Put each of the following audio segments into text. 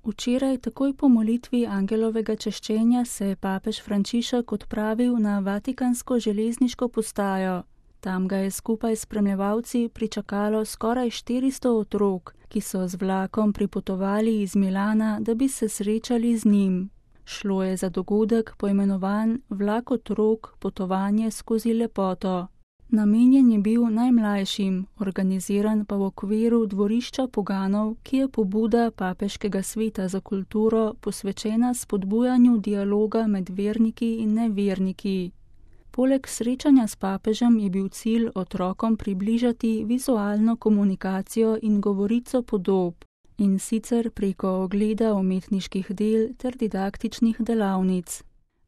Včeraj, takoj po molitvi angelovega češčenja, se je papež Frančišek odpravil na vatikansko železniško postajo. Tam ga je skupaj s spremljevalci pričakalo skoraj 400 otrok, ki so z vlakom pripotovali iz Milana, da bi se srečali z njim. Šlo je za dogodek poimenovan Vlak otrok, potovanje skozi lepoto. Namenjen je bil najmlajšim, organiziran pa v okviru dvorišča poganov, ki je pobuda Papeškega sveta za kulturo posvečena spodbujanju dialoga med verniki in neverniki. Poleg srečanja s papežem je bil cilj otrokom približati vizualno komunikacijo in govorico podob, in sicer preko ogleda umetniških del ter didaktičnih delavnic.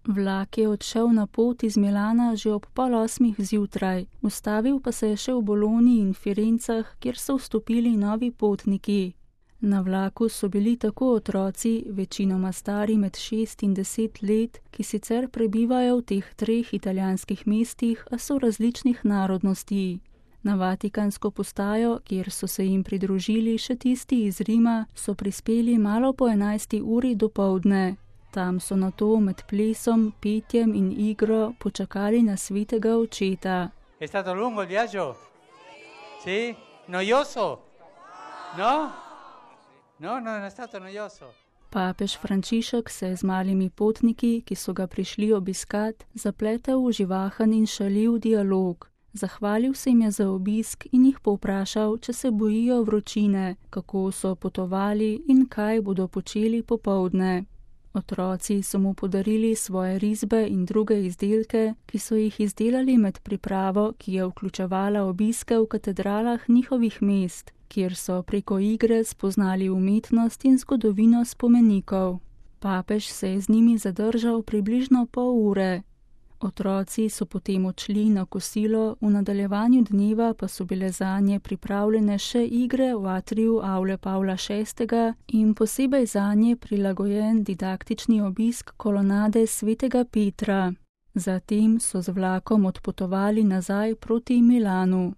Vlak je odšel na pot iz Milana že ob 7:30 zjutraj, ustavil pa se je še v Bologni in Firencah, kjer so vstopili novi potniki. Na vlaku so bili tako otroci, večinoma stari med 6 in 10 let, ki sicer prebivajo v teh 3 italijanskih mestih, a so različnih narodnosti. Na vatikansko postajo, kjer so se jim pridružili še tisti iz Rima, so prispeli malo po 11. uri dopoldne. Tam so nato med plesom, petjem in igro počakali na svetega očeta. È stato lungo il viaggio? Sì? Noioso? No? No, non è stato noioso. Papež Frančišek se je z malimi potniki, ki so ga prišli obiskat, zapletel v živahen in šaljiv dialog. Zahvalil se jim je za obisk in jih povprašal, če se bojijo vročine, kako so potovali in kaj bodo počeli popoldne. Otroci so mu podarili svoje risbe in druge izdelke, ki so jih izdelali med pripravo, ki je vključevala obiske v katedralah njihovih mest, kjer so preko igre spoznali umetnost in zgodovino spomenikov. Papež se je z njimi zadržal približno pol ure. Otroci so potem odšli na kosilo, v nadaljevanju dneva pa so bile zanje pripravljene še igre v atriju avle Pavla VI. In posebej zanje prilagojen didaktični obisk kolonade svetega Petra. Zatem so z vlakom odpotovali nazaj proti Milanu.